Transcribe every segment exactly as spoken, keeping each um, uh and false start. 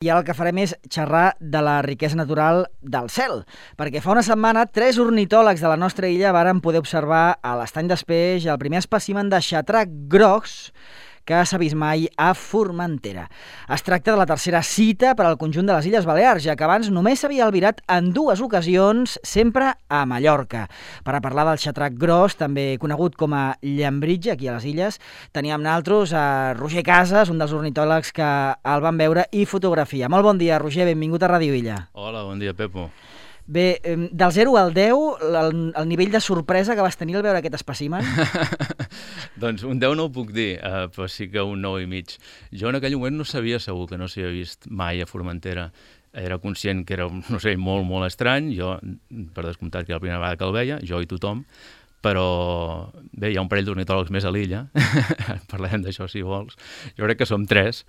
I ara el que farem és xerrar de la riquesa natural del cel, perquè fa una setmana tres ornitòlegs de la nostra illa varen poder observar a l'Estany d'Espeix el primer espècimen de xatrac gros que s'ha vist mai a Formentera. Es tracta de la tercera cita per al conjunt de les Illes Balears, ja que abans només s'havia albirat en dues ocasions, sempre a Mallorca. Per a parlar del xatrac gros, també conegut com a llambritge, aquí a les Illes, teníem naltros a Roger Casas, un dels ornitòlegs que el van veure i fotografia. Molt bon dia, Roger, benvingut a Ràdio Illa. Hola, bon dia, Pepo. Bé, del zero al deu, el, el nivell de sorpresa que vas tenir al veure aquest espècimen? Doncs un deu no ho puc dir, uh, però sí que un nou i mig. Jo en aquell moment no sabia segur que no s'havia vist mai a Formentera. Era conscient que era un ocell molt, molt estrany, jo, per descomptat que era la primera vegada que el veia, jo i tothom, però bé, hi ha un parell d'ornitòlegs més a l'illa, parlem d'això si vols, jo crec que som tres,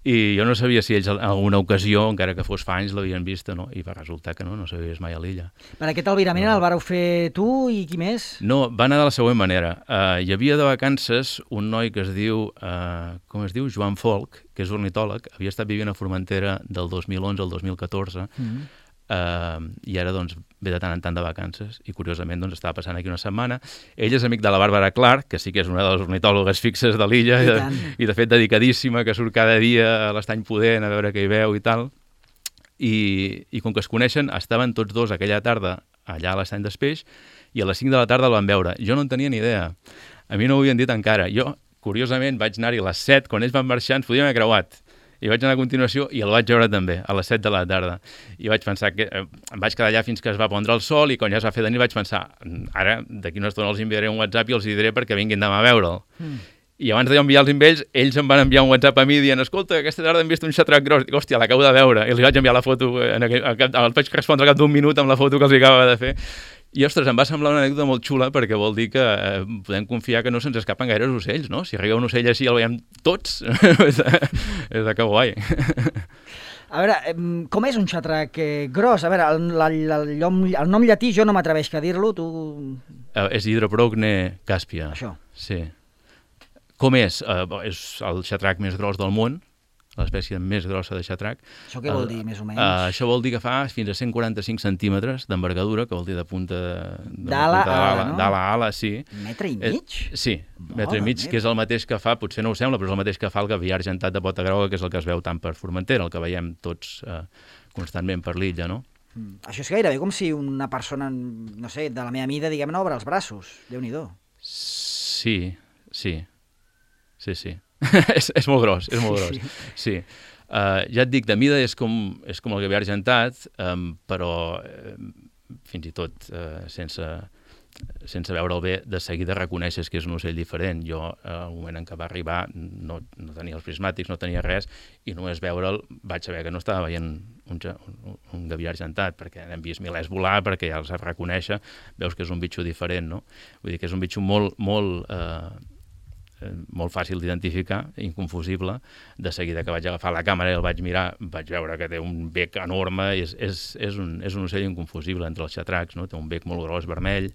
i jo no sabia si ells en alguna ocasió, encara que fos fa anys, l'havien vist o no, i va resultar que no, no s'havia vist mai a l'illa. Per aquest albirament no. El vareu fer tu i qui més? No, va anar de la següent manera. Uh, hi havia de vacances un noi que es diu, uh, com es diu, Joan Folch, que és ornitòleg, havia estat vivint a Formentera del dos mil onze al dos mil catorze, mm-hmm. Uh, i ara doncs ve de tant en tant de vacances i curiosament doncs estava passant aquí una setmana. Ell és amic de la Bàrbara Clark, que sí que és una de les ornitòlogues fixes de l'illa i, i, i de fet dedicadíssima, que surt cada dia a l'Estany Pudent a veure què hi veu i tal, i, i com que es coneixen estaven tots dos aquella tarda allà a l'Estany d'Espeix i a les cinc de la tarda el van veure. Jo no en tenia ni idea, a mi no ho havien dit encara. Jo curiosament vaig anar-hi a les set, quan ells van marxar ens podíem haver creuat. I vaig anar a continuació i el vaig veure també, a les set de la tarda. I vaig pensar que eh, em vaig quedar allà fins que es va pondre el sol i quan ja es va fer de nit vaig pensar, ara d'aquí una estona els enviaré un WhatsApp i els diré perquè vinguin demà a veure'l. Mm. I abans d'enviar-los amb ells, ells em van enviar un WhatsApp a mi dient, escolta, aquesta tarda hem vist un xatrac gros. Dic, hòstia, l'acabo de veure. I els vaig enviar la foto, en aquell, el vaig respondre al cap d'un minut amb la foto que els acabava de fer. I, ostres, em va semblar una anècdota molt xula perquè vol dir que eh, podem confiar que no se'ns escapen gaires ocells, no? Si arriba un ocell així el veiem tots, és de que guai. A veure, com és un xatrac gros? A veure, el, el, el, el nom llatí jo no m'atreveix a dir-lo, tu... Uh, és Hydroprogne caspia. Això. Sí. Com és? Uh, és el xatrac més gros del món, l'espècie més grossa de xatrac. Això què vol dir, més o menys? Uh, això vol dir que fa fins a cent quaranta-cinc centímetres d'envergadura, que vol dir de punta... D'ala a ala, no? D'ala a ala, sí. Metre i mig? Eh, sí, metre i mig, que és el mateix que fa, potser no ho sembla, però és el mateix que fa el gavià argentat de pota groga, que és el que es veu tant per Formentera, el que veiem tots uh, constantment per l'illa, no? Mm. Això és gairebé com si una persona, no sé, de la meva mida, diguem-ne, obre els braços. Déu-n'hi-do. Sí, sí, sí, sí. és, és molt gros, és molt gros, sí. sí. Uh, ja et dic, de mida és com, és com el gavià argentat, um, però uh, fins i tot uh, sense, sense veure'l bé, de seguida reconeixes que és un ocell diferent. Jo, uh, al moment en què va arribar, no, no tenia els prismàtics, no tenia res, i només veure'l vaig saber que no estava veient un, un, un gavià argentat, perquè hem vist milers volar, perquè ja els saps reconèixer, veus que és un bitxo diferent, no? Vull dir que és un bitxo molt, molt... Uh, molt fàcil d'identificar, inconfusible. De seguida que vaig agafar la càmera i el vaig mirar, vaig veure que té un bec enorme, és, és, és, un, és un ocell inconfusible entre els xatracs, no? Té un bec molt gros, vermell.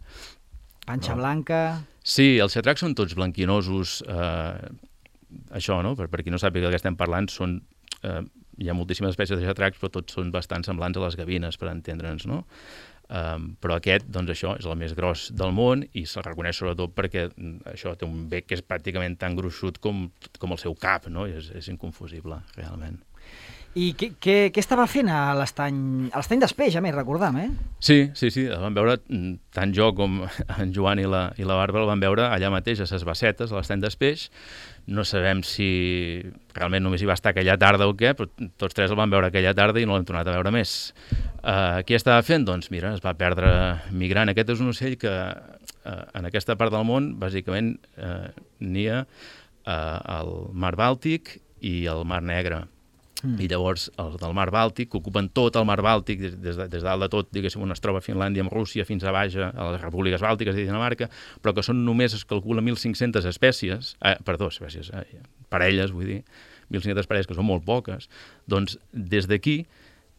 Panxa no? Blanca... Sí, els xatracs són tots blanquinosos, eh, això, no? Per, per qui no sàpiga del que estem parlant, són, eh, hi ha moltíssimes espècies de xatracs, però tots són bastant semblants a les gavines, per entendre'ns, no? Um, però aquest, doncs això, és el més gros del món i se'l reconeix sobretot perquè això té un bec que és pràcticament tan gruixut com, com el seu cap, no? És, és inconfusible, realment. I què, què, què estava fent a l'estany a l'estany d'Espeix, a més, recordam, eh? Sí, sí, sí, el van veure, tant jo com en Joan i la, i la Bàrbara el van veure allà mateix a ses Bassetes, a l'estany d'Espeix. No sabem si realment només hi va estar aquella tarda o què, però tots tres el van veure aquella tarda i no l'hem tornat a veure més. Uh, què estava fent? Doncs mira, es va perdre migrant. Aquest és un ocell que uh, en aquesta part del món, bàsicament, uh, nia uh, al Mar Bàltic i al Mar Negre. Mm. I llavors els del Mar Bàltic, que ocupen tot el Mar Bàltic, des, des, de, des dalt de tot, diguéssim, on es troba Finlàndia amb Rússia, fins a baix a les repúbliques bàltiques i Dinamarca, però que són només, es calcula, mil cinc-centes espècies, eh, perdó, espècies, eh, parelles, vull dir, mil cinc-centes parelles, que són molt poques, doncs des d'aquí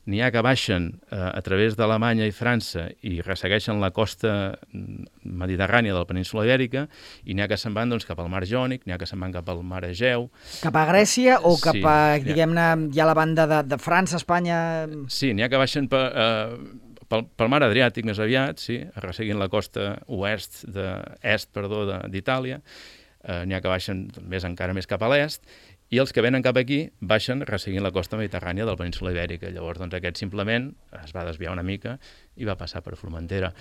n'hi ha que baixen eh, a través d'Alemanya i França i ressegueixen la costa mediterrània de la península Ibèrica, i n'hi ha que se'n van doncs, cap al mar Jònic, n'hi ha que se'n van cap al mar Egeu. Cap a Grècia o cap Sí, a, n'hi ha- diguem-ne, ja la banda de, de França, Espanya... Sí, n'hi ha que baixen per, eh, pel, pel mar Adriàtic més aviat, sí, resseguint la costa oest de, est perdó, de- d'Itàlia, eh, n'hi ha que baixen més encara més cap a l'est, i els que venen cap aquí baixen resseguint la costa mediterrània de la península Ibèrica. Llavors, doncs, aquest simplement es va desviar una mica i va passar per Formentera.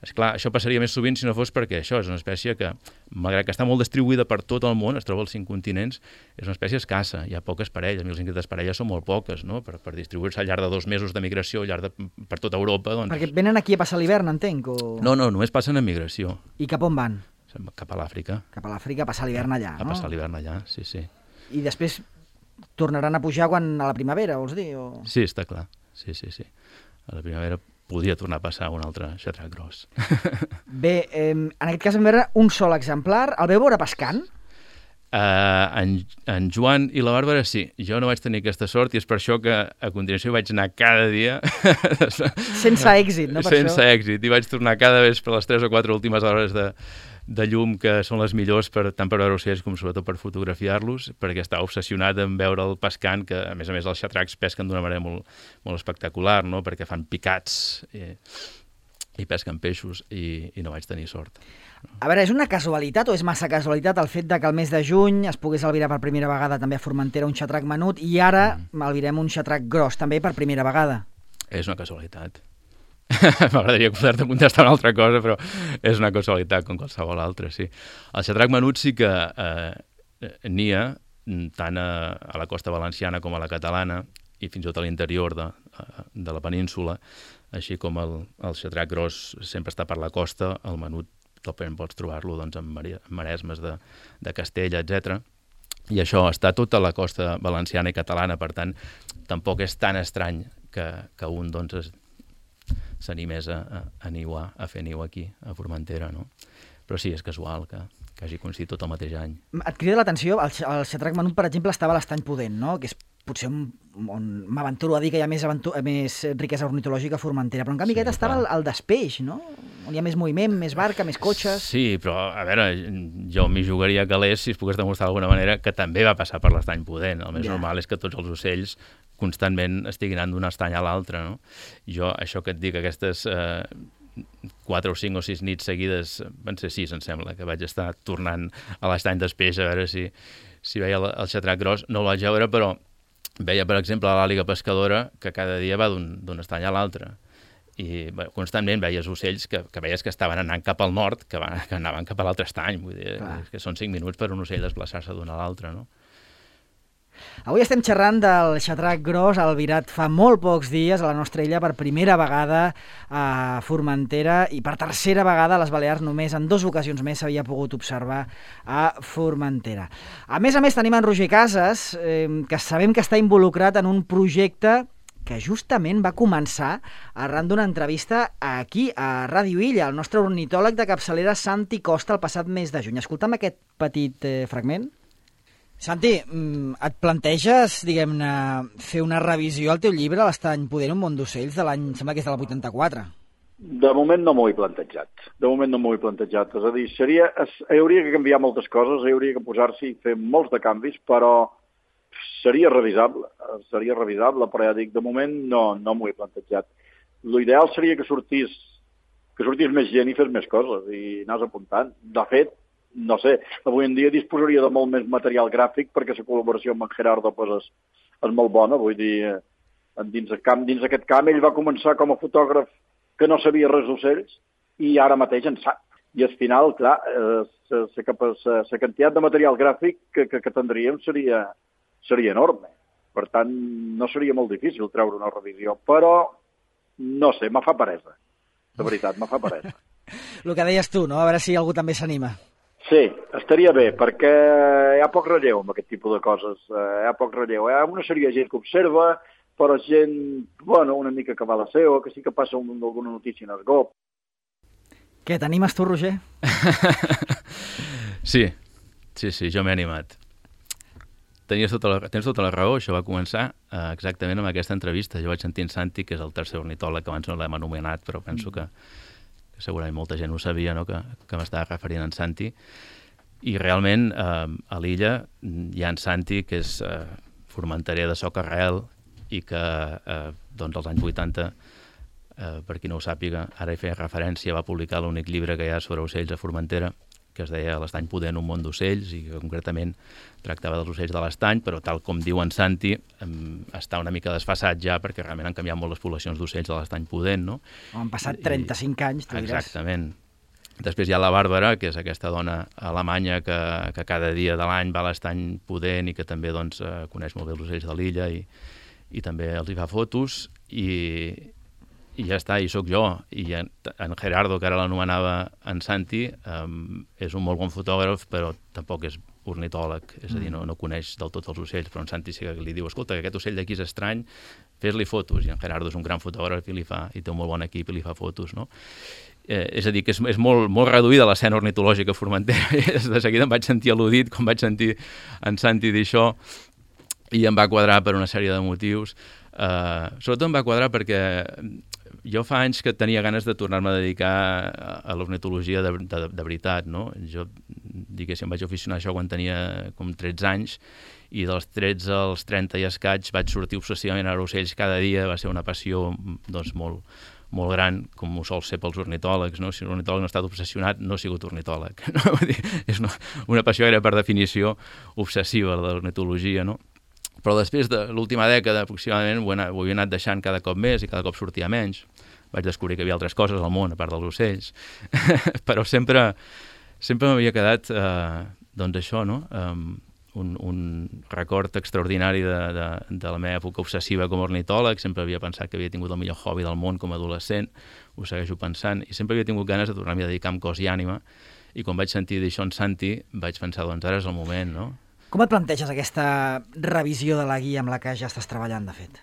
Esclar, això passaria més sovint si no fos perquè això és una espècie que, malgrat que està molt distribuïda per tot el món, es troba als cinc continents, és una espècie escassa, hi ha poques parelles, mil cinc-centes parelles són molt poques, no? Per, per distribuir-se al llarg de dos mesos de migració, al llarg de, per tota Europa, doncs... Perquè venen aquí a passar l'hivern, entenc? O... No, no, només passen en migració, I cap on van? cap a l'Àfrica, Cap a l'Àfrica a passar l'hivern allà, a no? passar l'hivern allà, sí, sí. I després tornaran a pujar quan a la primavera, vols dir? O... Sí, està clar, sí, sí, sí. A la primavera podria tornar a passar un altre xatrac gros. Bé, eh, en aquest cas vam veure un sol exemplar. El veu veure pescant? Uh, en, en Joan i la Bàrbara sí, jo no vaig tenir aquesta sort i és per això que a continuació vaig anar cada dia Sense èxit, no per sense això? èxit, i vaig tornar cada vespre a les tres o quatre últimes hores de, de llum, que són les millors per, tant per veure ocells com sobretot per fotografiar-los, perquè estava obsessionat en veure el pescant, que a més a més els xatracs pesquen d'una manera molt, molt espectacular, no? Perquè fan picats i, i pesquen peixos, i, i no vaig tenir sort. A veure, és una casualitat o és massa casualitat el fet de que el mes de juny es pogués albirar per primera vegada també a Formentera un xatrac menut i ara mm. albirem un xatrac gros també per primera vegada? És una casualitat. M'agradaria poder-te contestar una altra cosa, però és una casualitat com qualsevol altra, sí. El xatrac menut sí que eh, nia tant a, a la costa valenciana com a la catalana i fins i tot a l'interior de, de la península, així com el, el xatrac gros sempre està per la costa, el menut topament pots trobar-lo doncs, en maresmes de, de Castella, etcètera. I això està tota la costa valenciana i catalana, per tant, tampoc és tan estrany que, que un doncs, s'animés a, a, a niuar, a fer niu aquí, a Formentera, no? Però sí, és casual que, que hagi coincidit tot el mateix any. Et crida l'atenció, el, el xatrac menut, per exemple, estava a l'Estany Pudent, no? Que és potser on, on m'aventuro a dir que hi ha més, més riquesa ornitològica a Formentera, però en canvi Sí, aquest estava clar. al, al Despeix, no? On hi ha més moviment, més barca, més cotxes... Sí, però, a veure, jo m'hi jugaria a calés si es pogués demostrar d'alguna manera que també va passar per l'Estany Pudent. El més Ja. normal és que tots els ocells constantment estiguin anant d'un estany a l'altre, no? Jo, això que et dic, aquestes eh, quatre o cinc o sis nits seguides, van ser sis, em sembla, que vaig estar tornant a l'estany d'Espeix a veure si, si veia el, el xatrac gros. No el vaig veure, però veia, per exemple, l'àliga pescadora, que cada dia va d'un estany a l'altre. I bé, constantment veies ocells que, que veies que estaven anant cap al nord, que, van, que anaven cap a l'altre estany. Vull dir, que són cinc minuts per un ocell desplaçar-se d'un a l'altre, no? Avui estem xerrant del xatrac gros albirat fa molt pocs dies a la nostra illa per primera vegada a Formentera i per tercera vegada a les Balears. Només en dues ocasions més s'havia pogut observar a Formentera. A més a més tenim en Roger Casas, eh, que sabem que està involucrat en un projecte que justament va començar arran d'una entrevista aquí, a Ràdio Illa, el nostre ornitòleg de capçalera Santi Costa el passat mes de juny. Escolta'm aquest petit eh, fragment. Santi, et planteges, diguem-ne, fer una revisió al teu llibre, l'Estany Pudent, un món d'ocells, de l'any, sembla que és de la vuitanta-quatre? De moment no m'ho he plantejat. De moment no m'ho he plantejat. És a dir, seria, es, hi hauria que canviar moltes coses, hi hauria que posar-s'hi i fer molts de canvis, però seria revisable, seria revisable, però ja dic, de moment no, no m'ho he plantejat. L'ideal seria que sortís, que sortís més gent i fes més coses i anàs apuntant. De fet, no sé, avui en dia disposaria de molt més material gràfic perquè la col·laboració amb en Gerardo pues, és, és molt bona, vull dir, dins, el camp, dins aquest camp ell va començar com a fotògraf que no sabia res d'ocells i ara mateix en sap. I al final, clar, eh, la quantitat de material gràfic que, que, que tindríem seria, seria enorme. Per tant, no seria molt difícil treure una revisió, però no sé, me fa peresa. De veritat, me fa peresa. El que deies tu, no? A veure si algú també s'anima. Sí, estaria bé, perquè hi ha poc relleu amb aquest tipus de coses. Eh, hi ha poc relleu. Hi ha una sèrie de gent que observa, però gent, bueno, una mica que va a la seva, que sí que passa un, alguna notícia en el G O P. Què, t'animes tu, Roger? Sí, sí, sí, jo m'he animat. tenies tota la, tens tota la raó, això va començar uh, exactament amb aquesta entrevista. Jo vaig sentir en Santi, que és el tercer ornitòleg, que abans no l'hem anomenat, però penso que, que segurament molta gent ho sabia, no? que, que m'estava referint en Santi. I realment uh, a l'illa hi ha en Santi, que és uh, formenterer de soca-arrel i que uh, doncs als anys vuitanta, uh, per qui no ho sàpiga, ara hi feia referència, va publicar l'únic llibre que hi ha sobre ocells a Formentera, que es deia L'Estany Pudent, un món d'ocells, i que concretament tractava dels ocells de l'estany, però tal com diu en Santi, um, està una mica desfasat ja, perquè realment han canviat molt les poblacions d'ocells de l'Estany Pudent, no? Han passat trenta-cinc anys, tu diràs. Exactament. Després hi ha la Bàrbara, que és aquesta dona alemanya que, que cada dia de l'any va a l'Estany Pudent i que també doncs, coneix molt bé els ocells de l'illa i, i també els hi fa fotos, i, i ja està, i sóc jo. I en, en Gerardo, que ara l'anomenava en Santi, um, és un molt bon fotògraf, però tampoc és ornitòleg, és a dir, no, no coneix del tot els ocells, però en Santi sí que li diu, escolta, que aquest ocell d'aquí és estrany, fes-li fotos, i en Gerardo és un gran fotògraf i li fa, i té un molt bon equip i li fa fotos, no? Eh, és a dir, que és, és molt, molt reduïda l'escena ornitològica a Formentera. De seguida em vaig sentir al·ludit quan vaig sentir en Santi dir això, i em va quadrar per una sèrie de motius. Uh, sobretot em va quadrar perquè jo fa anys que tenia ganes de tornar-me a dedicar a, a l'ornitologia de, de, de veritat, no? Jo, diguéssim, vaig aficionar a això quan tenia com tretze anys, i dels tretze als trenta i escaig vaig sortir obsessivament a ocells cada dia. Va ser una passió doncs, molt, molt gran, com ho sol ser pels ornitòlegs, no? Si un ornitòleg no ha estat obsessionat, no ha sigut ornitòleg. No? Vull dir, és una, una passió era per definició obsessiva, de l'ornitologia, no? Però després de l'última dècada, aproximadament, ho he, anat, ho he anat deixant cada cop més i cada cop sortia menys. Vaig descobrir que hi havia altres coses al món, a part dels ocells. Però sempre, sempre m'havia quedat, eh, doncs això, no? Um, un, un record extraordinari de, de, de la meva època obsessiva com a ornitòleg. Sempre havia pensat que havia tingut el millor hobby del món com a adolescent, ho segueixo pensant, i sempre havia tingut ganes de tornar-m'hi a dedicar amb cos i ànima. I quan vaig sentir d'això en Santi, vaig pensar, doncs ara és el moment, no? Com et planteges aquesta revisió de la guia amb la que ja estàs treballant, de fet?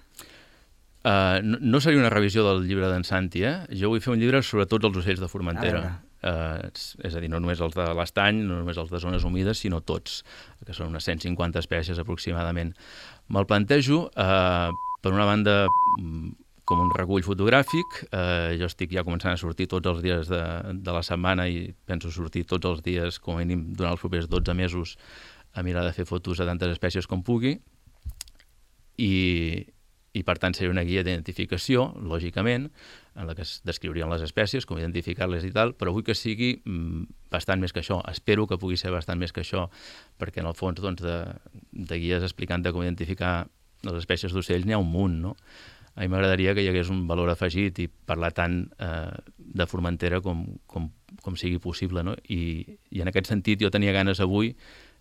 Uh, no, no seria una revisió del llibre d'en Santi, eh? Jo vull fer un llibre sobre tots els ocells de Formentera. Uh, és a dir, no només els de l'estany, no només els de zones humides, sinó tots, que són unes cent cinquanta espècies aproximadament. Me'l plantejo, uh, per una banda, com un recull fotogràfic. Uh, jo estic ja començant a sortir tots els dies de, de la setmana i penso sortir tots els dies, com a mínim, durant els propers dotze mesos, a mirar de fer fotos a tantes espècies com pugui, i, i per tant seria una guia d'identificació, lògicament, en la que es descriurien les espècies, com identificar-les i tal, però vull que sigui mm, bastant més que això. Espero que pugui ser bastant més que això, perquè en el fons doncs, de, de guies explicant com identificar les espècies d'ocells n'hi ha un munt, no? A mi m'agradaria que hi hagués un valor afegit i parlar tant eh, de Formentera com, com, com sigui possible, no? I, i en aquest sentit jo tenia ganes avui,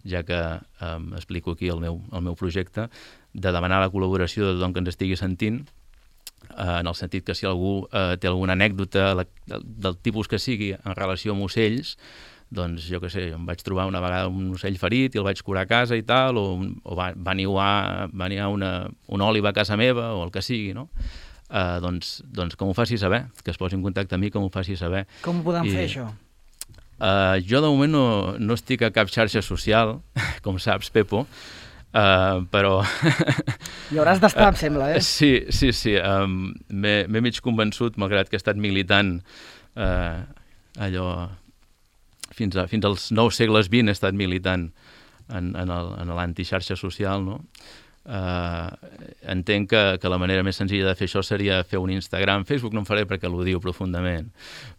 ja que eh, explico aquí el meu, el meu projecte, de demanar la col·laboració de tothom que ens estigui sentint, eh, en el sentit que si algú eh, té alguna anècdota la, del, del tipus que sigui en relació amb ocells, doncs jo què sé, em vaig trobar una vegada un ocell ferit i el vaig curar a casa i tal, o, o va, va niuar, va niuar una, una òliba a casa meva, o el que sigui, no? Eh, doncs, doncs que m'ho faci saber, que es posi en contacte amb mi, que m'ho faci saber. Com ho podem I, fer, això? Uh, jo de moment no, no estic a cap xarxa social, com saps, Pepo, uh, però... Hi hauràs d'estar, em sembla, eh? Sí, sí, sí. Um, M'he mig convençut, malgrat que he estat militant uh, allò... Fins, a, fins als nous segles vint he estat militant en, en l'antixarxa social, no? Uh, entenc que, que la manera més senzilla de fer això seria fer un Instagram. Facebook no em faré perquè l'odio profundament,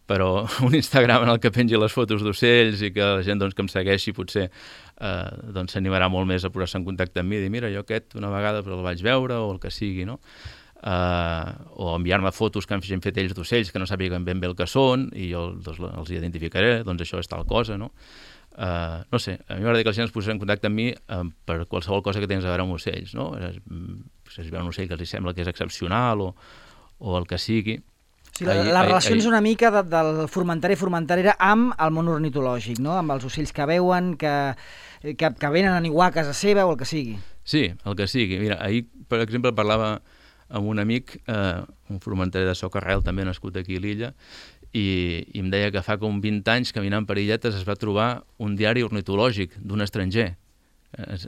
però un Instagram en el que pengi les fotos d'ocells i que la gent doncs, que em segueixi potser uh, doncs, s'animarà molt més a posar-se en contacte amb mi i dir, mira, jo aquest una vegada però el vaig veure, o el que sigui, no? Uh, o enviar-me fotos que han fet ells d'ocells que no sàpiguen ben bé el que són i jo doncs, els identificaré, doncs això és tal cosa, no? Uh, no sé, a mi m'agrada que la gent es posés en contacte amb mi uh, per qualsevol cosa que tens a veure amb ocells, no? Si es veu un ocell que els sembla que és excepcional o, o el que sigui. Sí, la, la relació és una mica de, del formenterer i formenterera amb el món ornitològic, no? Amb els ocells que veuen, que, que, que venen a niuar a casa seva o el que sigui. Sí, el que sigui. Mira, ahir, per exemple, parlava amb un amic, eh, un formenterer de soca-arrel, també nascut aquí a l'illa, i, i em deia que fa com vint anys, caminant per illetes, es va trobar un diari ornitològic d'un estranger.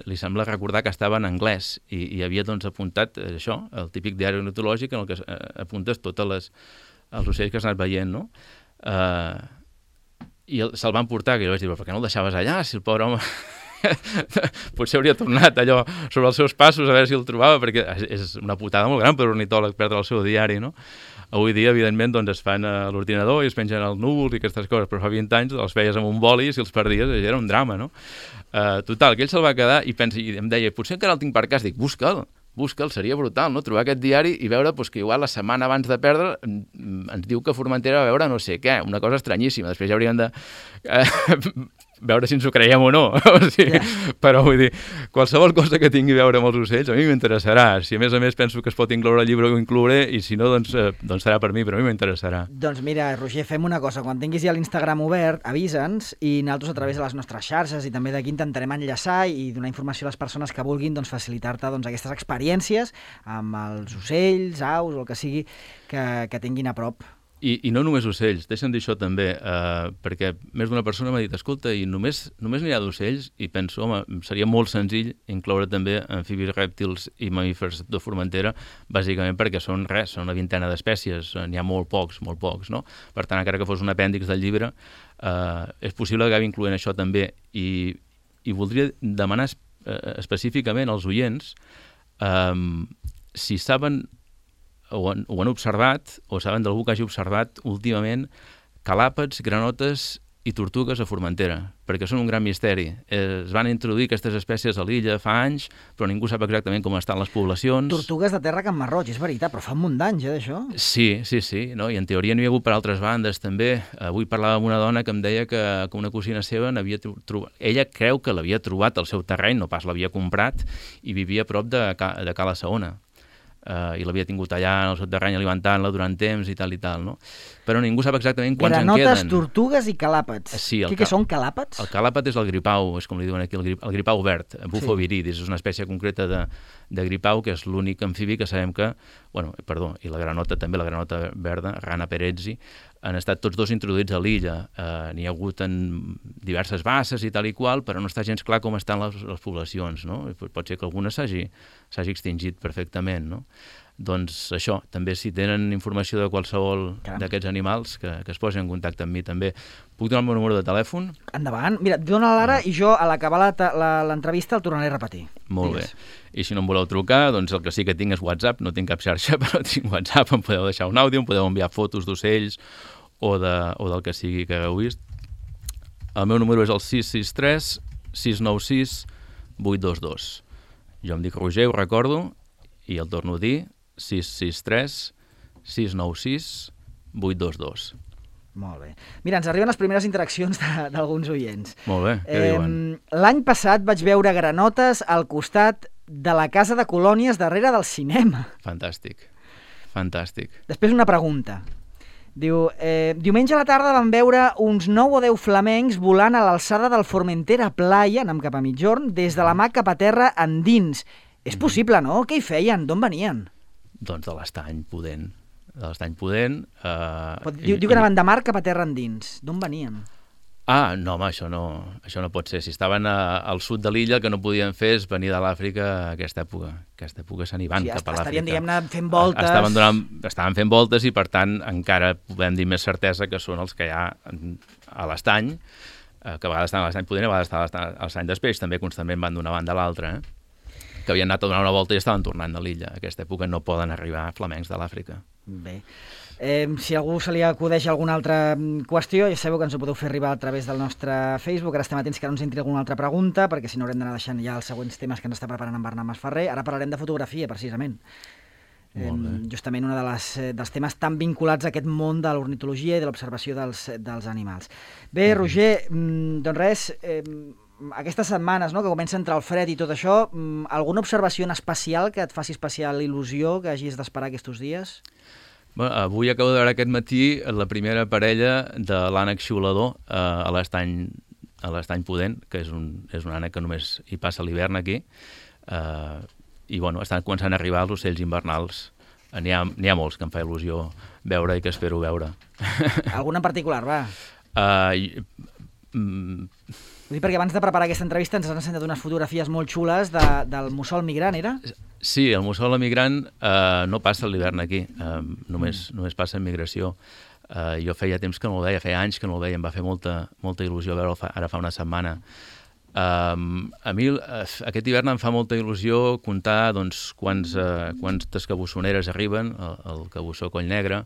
li sembla recordar que estava en anglès i, i havia doncs, apuntat això, el típic diari ornitològic en el que apuntes totes les, els ocells que has anat veient, no? Uh, I el, se'l van portar, que jo vaig dir, però per què no el deixaves allà, si el pobre home potser hauria tornat allò sobre els seus passos a veure si el trobava, perquè és una putada molt gran per ornitòleg perdre el seu diari, no? Avui dia, evidentment, doncs, es fan a l'ordinador i es pengen als núvols i aquestes coses, però fa vint anys els feies amb un boli i si els perdies era un drama, no? Uh, total, que ell se'l va quedar i, pensa, i em deia, potser encara el tinc per casa. Dic, busca'l, busca'l, seria brutal, no? Trobar aquest diari i veure pues, que igual la setmana abans de perdre ens diu que Formentera va veure no sé què, una cosa estranyíssima. Després ja hauríem de uh, veure si ens ho creiem o no. O sigui, yeah. Però vull dir, qualsevol cosa que tingui a veure amb els ocells a mi m'interessarà. Si a més a més penso que es pot incloure al llibre, ho inclouré, i si no, doncs, eh, doncs serà per mi, però a mi m'interessarà. Doncs mira, Roger, fem una cosa. Quan tinguis ja l'Instagram obert, avisa'ns i nosaltres a través de les nostres xarxes i també d'aquí intentarem enllaçar i donar informació a les persones que vulguin doncs, facilitar-te doncs, aquestes experiències amb els ocells, aus o el que sigui que, que tinguin a prop. I, I no només ocells, deixa'm dir això també, eh, perquè més d'una persona m'ha dit, escolta, i només, només n'hi ha d'ocells? I penso, home, seria molt senzill incloure també amfibis, rèptils i mamífers de Formentera, bàsicament perquè són res, són una vintena d'espècies, n'hi ha molt pocs, molt pocs, no? Per tant, encara que fos un apèndix del llibre, eh, és possible que acabi incloent això també. I, i voldria demanar eh, específicament als oients eh, si saben ho han, ho han observat, o saben d'algú que hagi observat últimament calàpets, granotes i tortugues a Formentera, perquè són un gran misteri. Es van introduir aquestes espècies a l'illa fa anys, però ningú sap exactament com estan les poblacions. Tortugues de terra Can Marroig, és veritat, però fa un munt d'anys, eh, d'això? Sí, sí, sí, no? I en teoria n'hi ha hagut per altres bandes, també. Avui parlava amb una dona que em deia que, que una cosina seva n'havia trobat... Ella creu que l'havia trobat al seu terreny, no pas l'havia comprat, i vivia a prop de, Ca... de Cala Saona. Uh, i l'havia tingut allà en el seu terreny alimentant-la durant temps i tal i tal, no? Però ningú sap exactament quants Granotes, en queden. tortugues i calàpets. Sí, Què, què són calàpets? El calàpet és el gripau, és com li diuen aquí, el, grip, el gripau verd, Bufo sí. viridis, és una espècie concreta de, de gripau, que és l'únic amfibi que sabem que, bueno, perdó, i la granota també, la granota verda, Rana perezzi, han estat tots dos introduïts a l'illa. Uh, N'hi ha hagut en diverses basses i tal i qual, però no està gens clar com estan les, les poblacions, no? Pot ser que alguna s'hagi s'hagi extingit perfectament, no? Doncs això, també si tenen informació de qualsevol d'aquests animals, que, que es posin en contacte amb mi també. Puc donar el meu número de telèfon? Endavant. Mira, dona l'ara i jo a l'acabar l'entrevista el tornaré a repetir. Molt Digues. bé. I si no em voleu trucar, doncs el que sí que tinc és WhatsApp, no tinc cap xarxa, però tinc WhatsApp, em podeu deixar un àudio, em podeu enviar fotos d'ocells o, de, o del que sigui que hagueu vist. El meu número és el sis sis tres, sis nou sis, vuit dos dos. Jo em dic Roger, ho recordo, i el torno a dir, sis sis tres, sis nou sis, vuit dos dos. Molt bé. Mira, ens arriben les primeres interaccions d'alguns oients. Molt bé, què eh, diuen? L'any passat vaig veure granotes al costat de la casa de colònies darrere del cinema. Fantàstic, fantàstic. Després una pregunta. Diu, eh, diumenge a la tarda vam veure uns nou o deu flamencs volant a l'alçada del Formentera Playa, anem cap a mitjorn, des de la mà cap a terra endins. És possible, no? Què hi feien? D'on venien? Doncs de l'estany pudent. De l'estany pudent... Eh, diu, i, diu que anaven de mar cap a terra endins. D'on venien? Ah, no, home, això no, això no pot ser. Si estaven a, al sud de l'illa, el que no podien fer és venir de l'Àfrica a aquesta època. Aquesta època se n'hi van sí, cap a l'Àfrica. Estarien, diguem-ne, fent voltes. Estaven, donant, estaven fent voltes i, per tant, encara podem dir més certesa que són els que hi ha a l'estany, que a vegades estan a l'estany pudent, a vegades estan a l'estany d'Espeix, també constantment van d'una banda a l'altra, eh? Que havien anat a donar una volta i estaven tornant a l'illa. A aquesta època no poden arribar flamencs de l'Àfrica. Bé. Eh, si a algú se li acudeix alguna altra qüestió, ja sabeu que ens ho podeu fer arribar a través del nostre Facebook. Ara estem atents que no ens entri alguna altra pregunta, perquè si no haurem d'anar deixant ja els següents temes que ens està preparant en Bernat Masferrer. Ara parlarem de fotografia, precisament. Eh, justament un de les, dels temes tan vinculats a aquest món de l'ornitologia i de l'observació dels, dels animals. Bé, Roger, doncs res... Eh, aquestes setmanes, no?, que comença a entrar el fred i tot això, alguna observació en especial que et faci especial il·lusió, que hagis d'esperar aquests dies? Bueno, avui acabo de veure aquest matí la primera parella de l'ànec xiulador eh, a l'estany a l'estany pudent, que és un, és un ànec que només hi passa l'hivern aquí, eh, i bueno, estan començant a arribar els ocells invernals. N'hi ha, n'hi ha molts que em fa il·lusió veure i que espero veure. Algun en particular, va? Uh, Mm. Ho dic perquè abans de preparar aquesta entrevista ens has ensenyat unes fotografies molt xules de, del mussol migrant, era? Sí, el mussol migrant eh, no passa l'hivern aquí, eh, només, mm. només passa en migració. Eh, jo feia temps que no el veia, feia anys que no el veia, em va fer molta, molta il·lusió veure'l fa, ara fa una setmana. Um, a mi uh, aquest hivern em fa molta il·lusió comptar doncs, quants, uh, quantes cabussoneres arriben, el, el cabussó Coll Negre.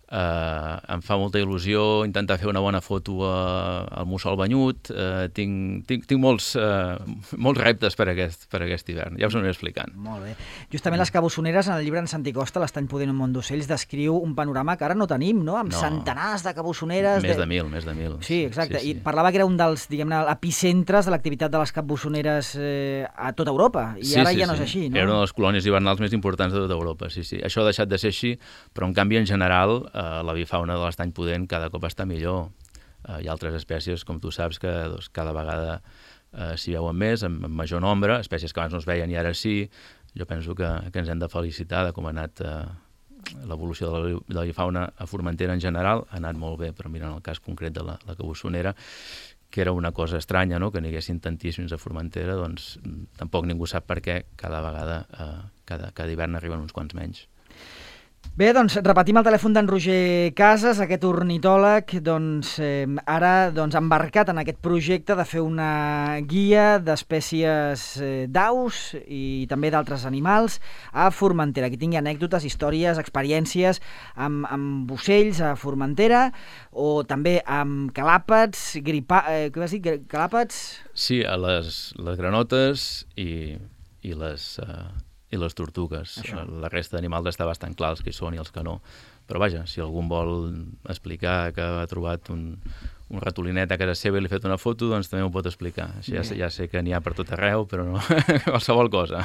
Uh, em fa molta il·lusió intentar fer una bona foto uh, al mussol banyut. Uh, tinc, tinc, tinc molts, uh, molts reptes per aquest, per aquest hivern, ja us ho aniré explicant. Molt bé. Justament les cabussoneres, en el llibre en Santi Costa, l'Estany Pudent un món d'ocells, descriu un panorama que ara no tenim, no? Amb no. centenars de cabussoneres. Més de... de mil, més de mil. Sí, exacte. Sí, sí. I parlava que era un dels, diguem-ne, epicentres de l'activitat de les cabussoneres eh, a tota Europa. I sí, ara sí, ja no sí. és així, no? Era una de les colònies hivernals més importants de tota Europa, sí, sí. Això ha deixat de ser així, però en canvi, en general, Uh, la bifauna de l'Estany Pudent cada cop està millor. Uh, hi ha altres espècies, com tu saps, que doncs, cada vegada uh, s'hi veuen més, en, en major nombre, espècies que abans no es veien i ara sí. Jo penso que, que ens hem de felicitar de com ha anat uh, l'evolució de la, de la bifauna a Formentera en general. Ha anat molt bé, però mirant el cas concret de la, la cabussonera, que era una cosa estranya, no?, que n'hi haguessin tantíssims a Formentera, doncs tampoc ningú sap per què cada vegada, uh, cada, cada hivern arriben uns quants menys. Bé, doncs repetim el telèfon d'en Roger Casas, aquest ornitòleg, doncs eh, ara doncs, embarcat en aquest projecte de fer una guia d'espècies eh, d'aus i també d'altres animals a Formentera. Aquí tingui anècdotes, històries, experiències amb, amb ocells a Formentera o també amb calàpats, gripa... Eh, què vas dir? Calàpats? Sí, a les, les granotes i, i les... Uh... i les tortugues. Això. La resta d'animals està bastant clar els que hi són i els que no. Però vaja, si algú vol explicar que ha trobat un, un ratolinet a casa seva i li ha fet una foto, doncs també ho pot explicar. Així ja, ja sé que n'hi ha per tot arreu, però no qualsevol cosa.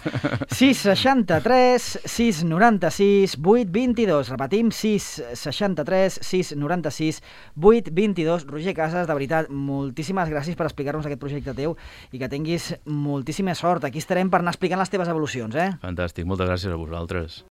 sis seixanta-tres sis noranta-sis vuit vint-i-dos. Repetim, sis seixanta-tres sis noranta-sis vuit vint-i-dos. Roger Casas, de veritat, moltíssimes gràcies per explicar-nos aquest projecte teu i que tinguis moltíssima sort. Aquí estarem per anar explicant les teves evolucions, eh? Fantàstic, moltes gràcies a vosaltres.